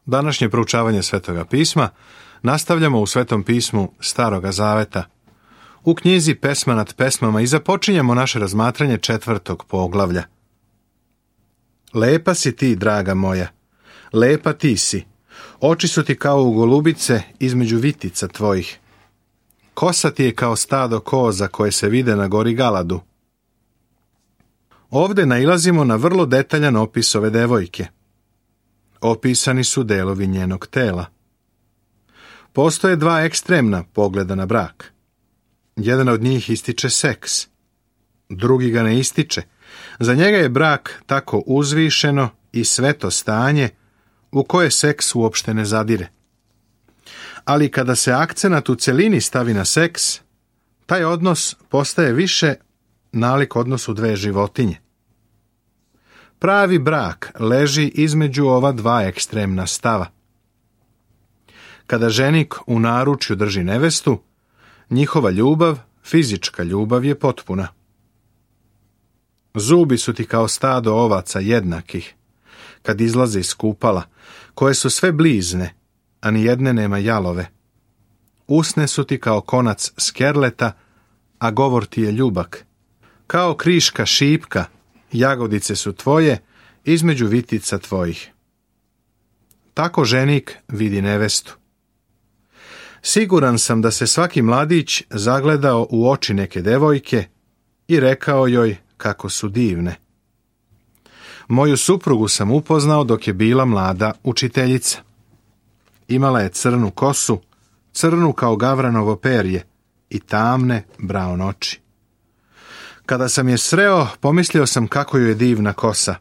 Današnje proučavanje Svetoga pisma nastavljamo u Svetom pismu Staroga Zaveta, u knjizi Pesma nad pesmama, i započinjemo naše razmatranje 4. poglavlja. Lepa si ti, draga moja, lepa ti si, oči su ti kao u golubice između vitica tvojih. Kosa ti je kao stado koza koje se vide na gori Galadu. Ovde nailazimo na vrlo detaljan opis ove devojke. Opisani su delovi njenog tela. Postoje dva ekstremna pogleda na brak. Jedan od njih ističe seks, drugi ga ne ističe. Za njega je brak tako uzvišeno i sveto stanje u koje seks uopšte ne zadire. Ali kada se akcenat u celini stavi na seks, taj odnos postaje više nalik odnosu dve životinje. Pravi brak leži između ova dva ekstremna stava. Kada ženik u naručju drži nevestu, njihova ljubav, fizička ljubav, je potpuna. Zubi su ti kao stado ovaca jednakih, kad izlaze iz kupala, koje su sve blizne, a ni jedne nema jalove. Usne su ti kao konac skerleta, a govor ti je ljubak. Kao kriška šipka, jagodice su tvoje između vitica tvojih. Tako ženik vidi nevestu. Siguran sam da se svaki mladić zagledao u oči neke devojke i rekao joj kako su divne. Moju suprugu sam upoznao dok je bila mlada učiteljica. Imala je crnu kosu, crnu kao gavranovo perje i tamne braun oči. Kada sam je sreo, pomislio sam kako joj je divna kosa.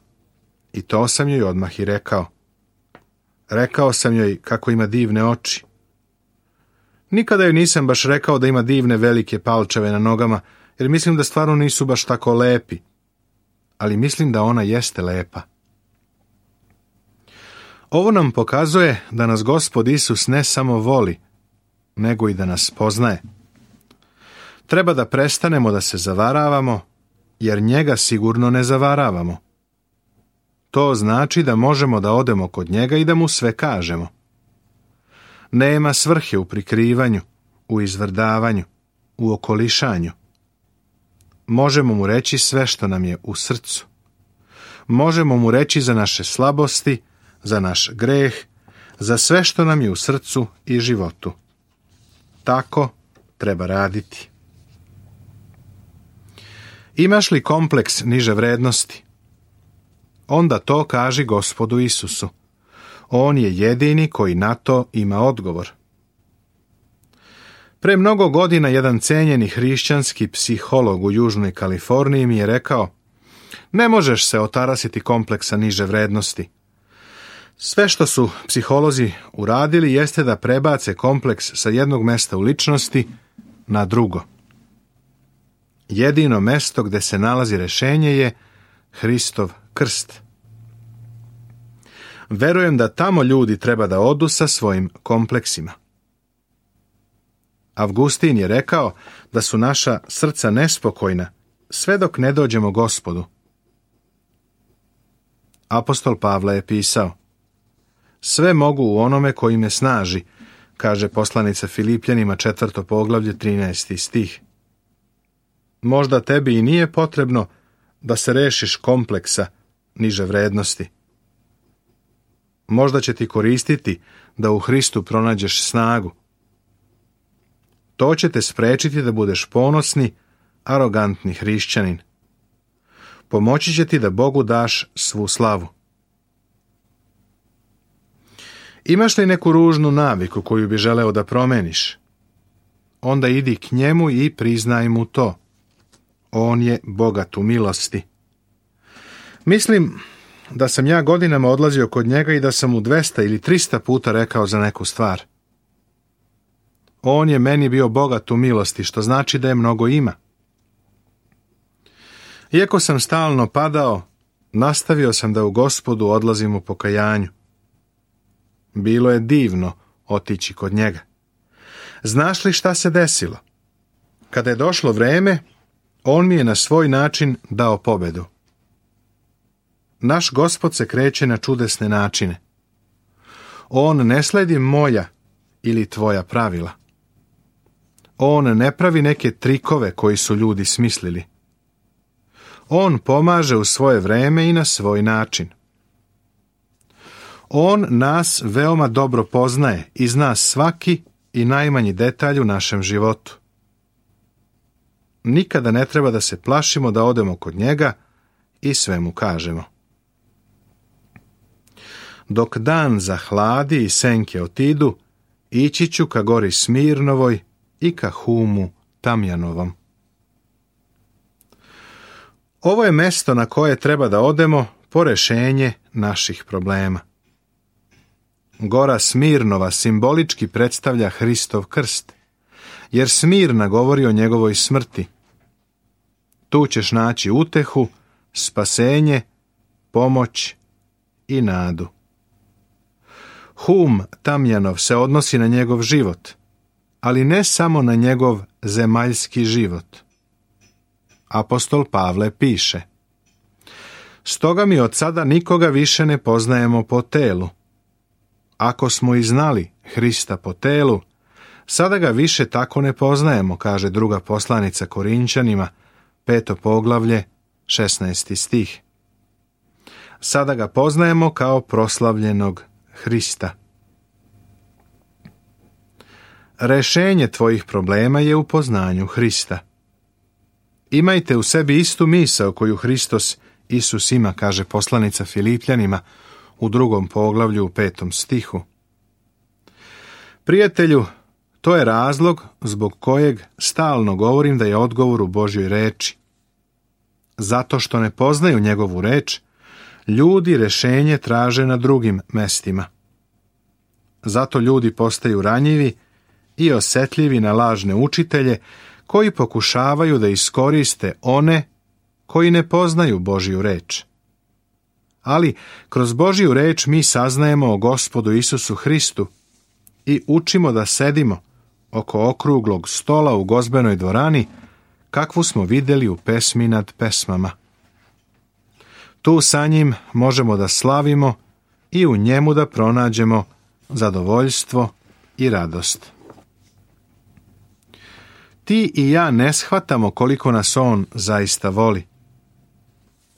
I to sam joj odmah i rekao. Rekao sam joj kako ima divne oči. Nikada joj nisam baš rekao da ima divne velike palčeve na nogama, jer mislim da stvarno nisu baš tako lepi. Ali mislim da ona jeste lepa. Ovo nam pokazuje da nas Gospod Isus ne samo voli, nego i da nas poznaje. Treba da prestanemo da se zavaravamo, jer njega sigurno ne zavaravamo. To znači da možemo da odemo kod njega i da mu sve kažemo. Nema svrhe u prikrivanju, u izvrdavanju, u okolišanju. Možemo mu reći sve što nam je u srcu. Možemo mu reći za naše slabosti, za naš greh, za sve što nam je u srcu i životu. Tako treba raditi. Imaš li kompleks niže vrednosti? Onda to kaži Gospodu Isusu. On je jedini koji na to ima odgovor. Pre mnogo godina jedan cenjeni hrišćanski psiholog u Južnoj Kaliforniji mi je rekao: ne možeš se otarasiti kompleksa niže vrednosti. Sve što su psiholozi uradili jeste da prebace kompleks sa jednog mesta u ličnosti na drugo. Jedino mesto gde se nalazi rešenje je Hristov krst. Verujem da tamo ljudi treba da odu sa svojim kompleksima. Avgustin je rekao da su naša srca nespokojna sve dok ne dođemo Gospodu. Apostol Pavle je pisao: sve mogu u onome koji me snaži, kaže poslanica Filipljanima 4. poglavlje 13. stih. Možda tebi i nije potrebno da se rešiš kompleksa niže vrednosti. Možda će ti koristiti da u Hristu pronađeš snagu. To će te sprečiti da budeš ponosni, arogantni hrišćanin. Pomoći će ti da Bogu daš svu slavu. Imaš li neku ružnu naviku koju bi želeo da promeniš? Onda idi k njemu i priznaj mu to. On je bogat u milosti. Mislim da sam ja godinama odlazio kod njega i da sam mu 200 ili 300 puta rekao za neku stvar. On je meni bio bogat u milosti, što znači da je mnogo ima. Iako sam stalno padao, nastavio sam da u Gospodu odlazim u pokajanju. Bilo je divno otići kod njega. Znaš li šta se desilo? Kada je došlo vreme, on mi je na svoj način dao pobedu. Naš Gospod se kreće na čudesne načine. On ne sledi moja ili tvoja pravila. On ne pravi neke trikove koji su ljudi smislili. On pomaže u svoje vreme i na svoj način. On nas veoma dobro poznaje i zna svaki i najmanji detalj u našem životu. Nikada ne treba da se plašimo da odemo kod njega i sve mu kažemo. Dok dan zahladi i senke otidu, ići ću ka gori Smirnovoj i ka Humu Tamjanovom. Ovo je mesto na koje treba da odemo po rešenje naših problema. Gora Smirnova simbolički predstavlja Hristov krst, jer Smirna govori o njegovoj smrti. Tu ćeš naći utehu, spasenje, pomoć i nadu. Hum Tamjanov se odnosi na njegov život, ali ne samo na njegov zemaljski život. Apostol Pavle piše: Stoga mi od sada nikoga više ne poznajemo po telu. Ako smo i znali Hrista po telu, sada ga više tako ne poznajemo, kaže druga poslanica Korinćanima, 5. poglavlje, 16. stih. Sada ga poznajemo kao proslavljenog Hrista. Rešenje tvojih problema je u poznanju Hrista. Imajte u sebi istu misao koju Hristos Isus ima, kaže poslanica Filipljanima u 2. poglavlju u 5. stihu. Prijatelju, to je razlog zbog kojeg stalno govorim da je odgovor u Božjoj reči. Zato što ne poznaju njegovu reč, ljudi rešenje traže na drugim mestima. Zato ljudi postaju ranjivi i osetljivi na lažne učitelje koji pokušavaju da iskoriste one koji ne poznaju Božju reč. Ali kroz Božju reč mi saznajemo o Gospodu Isusu Hristu i učimo da sedimo oko okruglog stola u gozbenoj dvorani, kakvu smo vidjeli u pesmi nad pesmama. Tu sa njim možemo da slavimo i u njemu da pronađemo zadovoljstvo i radost. Ti i ja ne shvatamo koliko nas on zaista voli.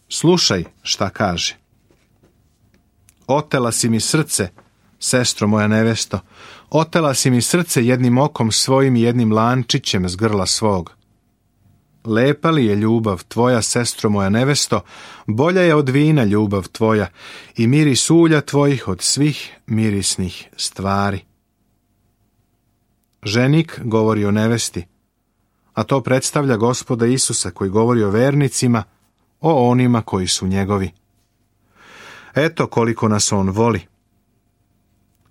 Slušaj šta kaže. Otela si mi srce, sestro moja nevesto, otela si mi srce jednim okom svojim i jednim lančićem s grla svog. Lepa li je ljubav tvoja, sestro moja nevesto, bolja je od vina ljubav tvoja i miris ulja tvojih od svih mirisnih stvari. Ženik govori o nevesti, a to predstavlja Gospoda Isusa koji govori o vernicima, o onima koji su njegovi. Eto koliko nas on voli.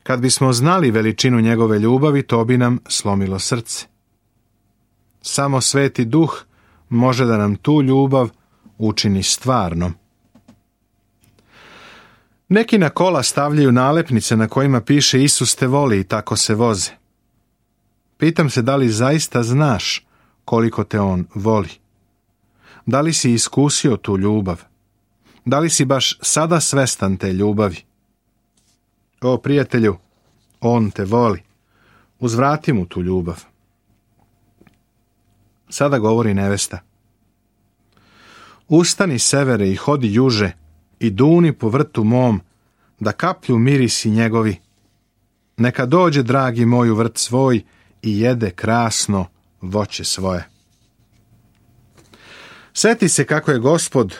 Kad bismo znali veličinu njegove ljubavi, to bi nam slomilo srce. Samo Sveti Duh može da nam tu ljubav učini stvarnom. Neki na kola stavljaju nalepnice na kojima piše Isus te voli i tako se voze. Pitam se da li zaista znaš koliko te on voli. Da li si iskusio tu ljubav? Da li si baš sada svestan te ljubavi? O prijatelju, on te voli. Uzvrati mu tu ljubav. Sada govori nevesta. Ustani severe i hodi juže i duni po vrtu mom, da kaplju mirisi njegovi. Neka dođe, dragi moj, u vrt svoj i jede krasno voće svoje. Seti se kako je Gospod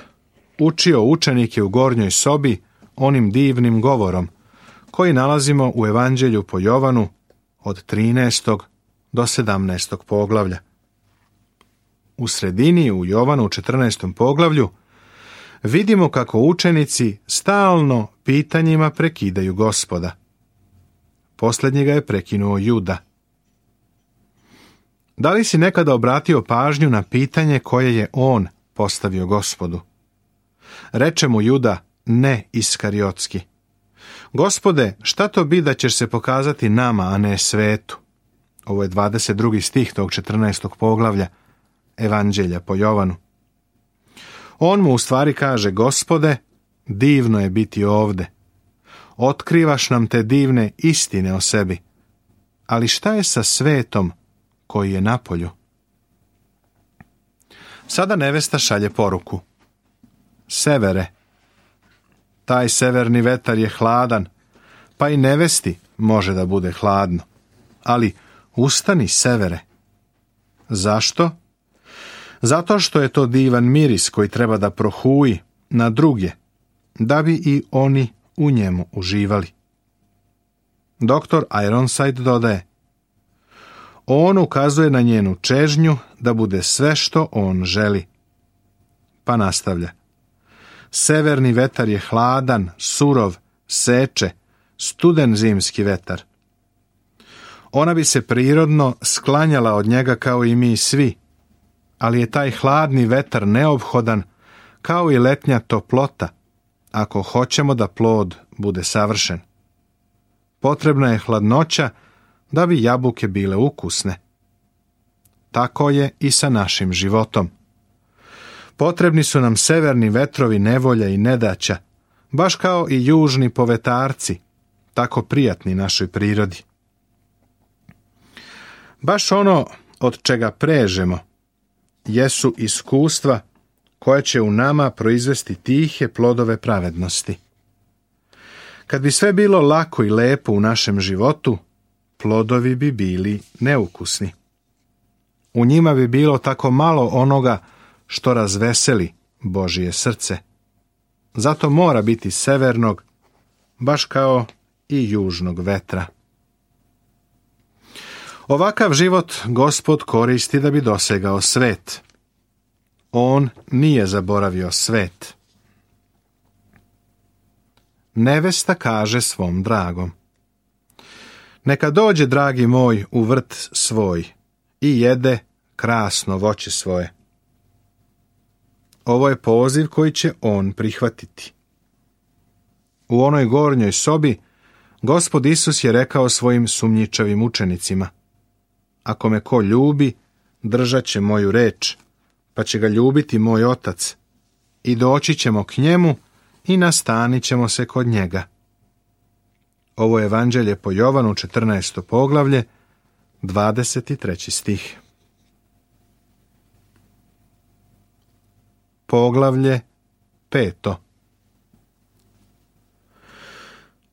učio učenike u gornjoj sobi onim divnim govorom, koji nalazimo u Evanđelju po Jovanu od 13. do 17. poglavlja. U sredini, u Jovanu u 14. poglavlju, vidimo kako učenici stalno pitanjima prekidaju Gospoda. Posljednjega je prekinuo Juda. Da li si nekada obratio pažnju na pitanje koje je on postavio Gospodu? Reče mu Juda, ne Iskariotski. Gospode, šta to bi da ćeš se pokazati nama, a ne svetu? Ovo je 22. stih tog 14. poglavlja Evanđelja po Jovanu. On mu u stvari kaže, Gospode, divno je biti ovde. otkrivaš nam te divne istine o sebi. Ali šta je sa svetom koji je napolju? Sada nevesta šalje poruku. Severe. Taj severni vetar je hladan, pa i nevesti može da bude hladno. Ali ustani, severe. Zašto? Zato što je to divan miris koji treba da prohuji na druge, da bi i oni u njemu uživali. Dr. Ironside dodaje: on ukazuje na njenu čežnju da bude sve što on želi. Pa nastavlja: severni vetar je hladan, surov, seče, studen zimski vetar. Ona bi se prirodno sklanjala od njega kao i mi svi, ali je taj hladni vetar neophodan kao i letnja toplota, ako hoćemo da plod bude savršen. Potrebna je hladnoća da bi jabuke bile ukusne. Tako je i sa našim životom. Potrebni su nam severni vetrovi nevolja i nedaća, baš kao i južni povetarci, tako prijatni našoj prirodi. Baš ono od čega prežemo jesu iskustva koja će u nama proizvesti tihe plodove pravednosti. Kad bi sve bilo lako i lepo u našem životu, plodovi bi bili neukusni. U njima bi bilo tako malo onoga što razveseli Božje srce. Zato mora biti severnog, baš kao i južnog vetra. Ovakav život Gospod koristi da bi dosegao svet. On nije zaboravio svet. Nevesta kaže svom dragom: neka dođe, dragi moj, u vrt svoj i jede krasno voće svoje. Ovo je poziv koji će on prihvatiti. U onoj gornjoj sobi Gospod Isus je rekao svojim sumnjičavim učenicima: ako me ko ljubi, držat će moju reč, pa će ga ljubiti moj otac, i doći ćemo k njemu i nastanit ćemo se kod njega. Ovo je Evanđelje po Jovanu, 14. poglavlje, 23. stih. Poglavlje 5.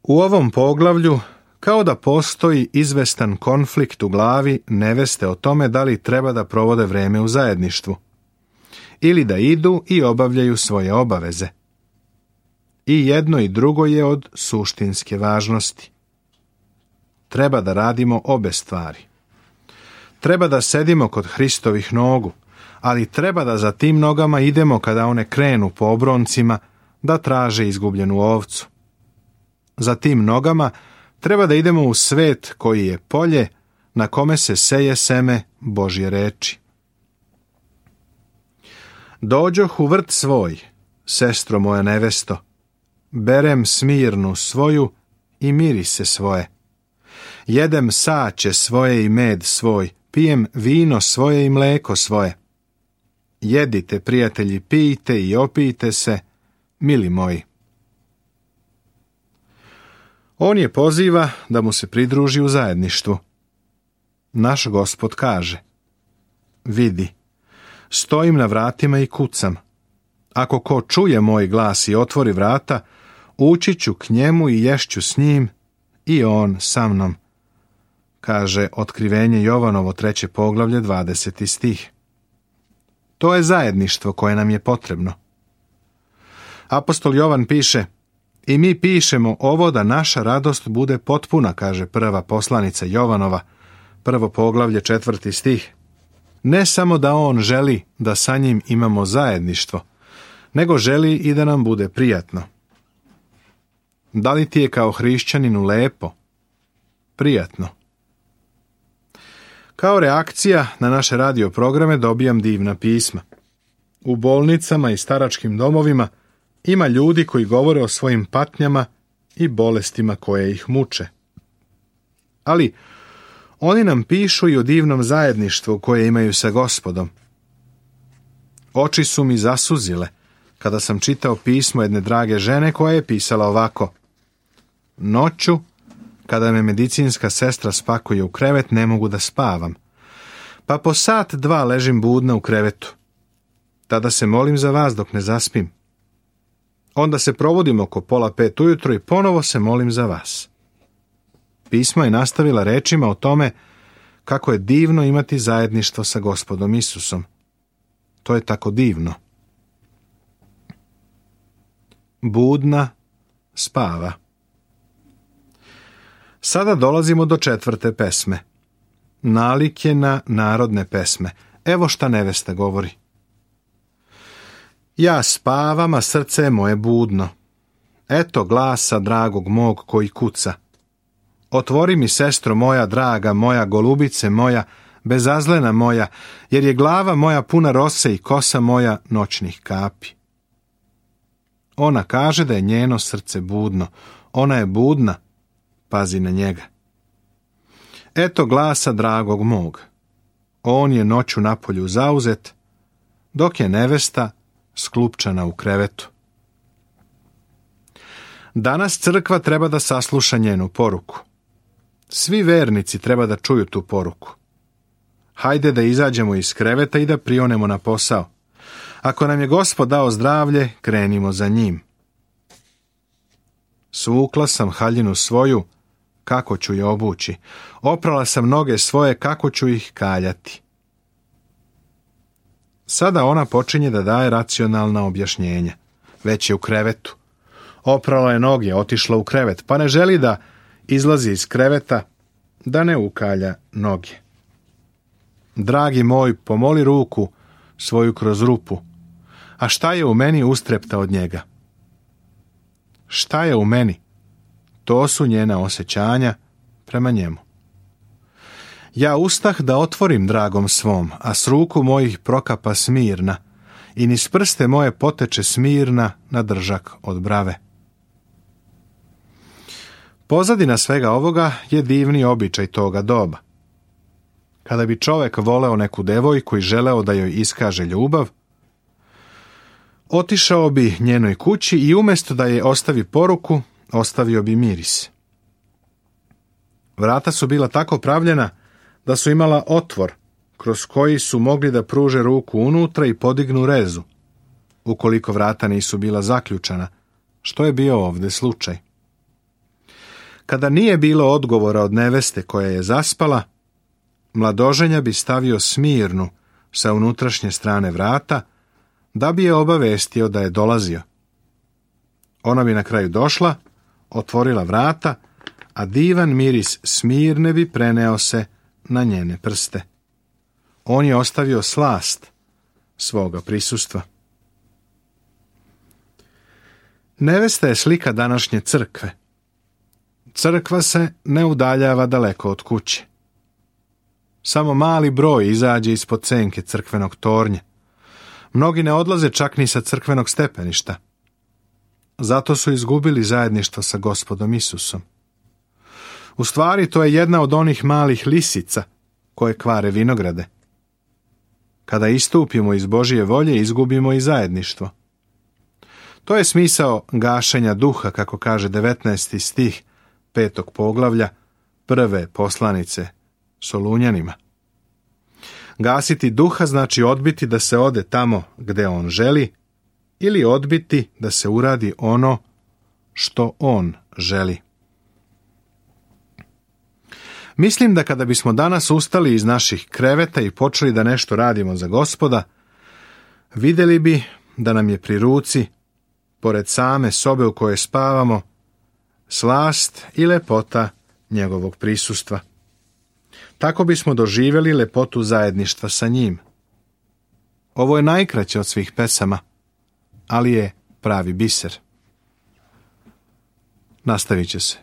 U ovom poglavlju kao da postoji izvestan konflikt u glavi neveste o tome da li treba da provode vreme u zajedništvu ili da idu i obavljaju svoje obaveze. I jedno i drugo je od suštinske važnosti. Treba da radimo obe stvari. Treba da sedimo kod Hristovih nogu, ali treba da za tim nogama idemo kada one krenu po obroncima da traže izgubljenu ovcu. Za tim nogama treba da idemo u svet koji je polje na kome se seje seme Božje reči. Dođoh u vrt svoj, sestro moja nevesto, berem smirnu svoju i mirise svoje. Jedem saće svoje i med svoj, pijem vino svoje i mleko svoje. Jedite, prijatelji, pijte i opijte se, mili moji. On je poziva da mu se pridruži u zajedništvu. Naš Gospod kaže: vidi, stojim na vratima i kucam. Ako ko čuje moj glas i otvori vrata, ući ću k njemu i ješću s njim i on sa mnom. Kaže Otkrivenje Jovanovo, 3. poglavlje, 20. stih. To je zajedništvo koje nam je potrebno. Apostol Jovan piše: i mi pišemo ovo da naša radost bude potpuna, kaže prva poslanica Jovanova, 1. poglavlje, 4. stih. Ne samo da on želi da sa njim imamo zajedništvo, nego želi i da nam bude prijatno. Da li ti je kao hrišćaninu lepo? Prijatno. Kao reakcija na naše radio programe dobijam divna pisma. U bolnicama i staračkim domovima ima ljudi koji govore o svojim patnjama i bolestima koje ih muče. Ali oni nam pišu i o divnom zajedništvu koje imaju sa Gospodom. Oči su mi zasuzile kada sam čitao pismo jedne drage žene koja je pisala ovako: Noću, kada me medicinska sestra spakuje u krevet, ne mogu da spavam. Pa po sat, dva ležim budna u krevetu. Tada se molim za vas dok ne zaspim. Onda se provodim oko 4:30 ujutro i ponovo se molim za vas. Pismo je nastavila rečima o tome kako je divno imati zajedništvo sa Gospodom Isusom. To je tako divno. Budna spava. Sada dolazimo do 4. pesme. Nalik na narodne pesme. Evo šta nevesta govori. Ja spavam, a srce je moje budno. Eto glasa dragog mog koji kuca. Otvori mi, sestro moja draga, moja golubice moja, bezazlena moja, jer je glava moja puna rose i kosa moja noćnih kapi. Ona kaže da je njeno srce budno. Ona je budna, pazi na njega. Eto glasa dragog mog. On je noću napolju zauzet, dok je nevesta sklupčana u krevetu. Danas crkva treba da sasluša njenu poruku. Svi vernici treba da čuju tu poruku. Hajde da izađemo iz kreveta i da prionemo na posao. Ako nam je Gospod dao zdravlje, krenimo za njim. Svukla sam haljinu svoju, kako ću je obući. Oprala sam noge svoje, kako ću ih kaljati. Sada ona počinje da daje racionalna objašnjenja. Već je u krevetu. Oprala je noge, otišla u krevet, pa ne želi da izlazi iz kreveta, da ne ukalja noge. Dragi moj, pomoli ruku svoju kroz rupu. A šta je u meni ustrepta od njega? Šta je u meni? To su njena osjećanja prema njemu. Ja ustah da otvorim dragom svom, a s ruku mojih prokapa smirna, i niz prste moje poteče smirna na držak od brave. Pozadina svega ovoga je divni običaj toga doba. Kada bi čovek voleo neku devojku i želeo da joj iskaže ljubav, otišao bi njenoj kući i umjesto da je ostavi poruku, ostavio bi miris. Vrata su bila tako pravljena da su imala otvor kroz koji su mogli da pruže ruku unutra i podignu rezu, ukoliko vrata nisu bila zaključana, što je bio ovdje slučaj. Kada nije bilo odgovora od neveste koja je zaspala, mladoženja bi stavio smirnu sa unutrašnje strane vrata, da bi je obavestio da je dolazio. Ona bi na kraju došla, otvorila vrata, a divan miris smirne bi preneo se na njene prste. On je ostavio slast svoga prisustva. Nevesta je slika današnje crkve. Crkva se ne udaljava daleko od kuće. Samo mali broj izađe ispod senke crkvenog tornja. Mnogi ne odlaze čak ni sa crkvenog stepeništa. Zato su izgubili zajedništvo sa Gospodom Isusom. U stvari, to je jedna od onih malih lisica koje kvare vinograde. Kada istupimo iz Božje volje, izgubimo i zajedništvo. To je smisao gašenja duha, kako kaže 19. stih 5. poglavlja prve poslanice Solunjanima. Gasiti duha znači odbiti da se ode tamo gde on želi, ili odbiti da se uradi ono što on želi. Mislim da kada bismo danas ustali iz naših kreveta i počeli da nešto radimo za Gospoda, vidjeli bi da nam je pri ruci, pored same sobe u kojoj spavamo, slast i lepota njegovog prisustva. Tako bismo doživjeli lepotu zajedništva sa njim. Ovo je najkraće od svih pesama, ali je pravi biser. Nastavit će se.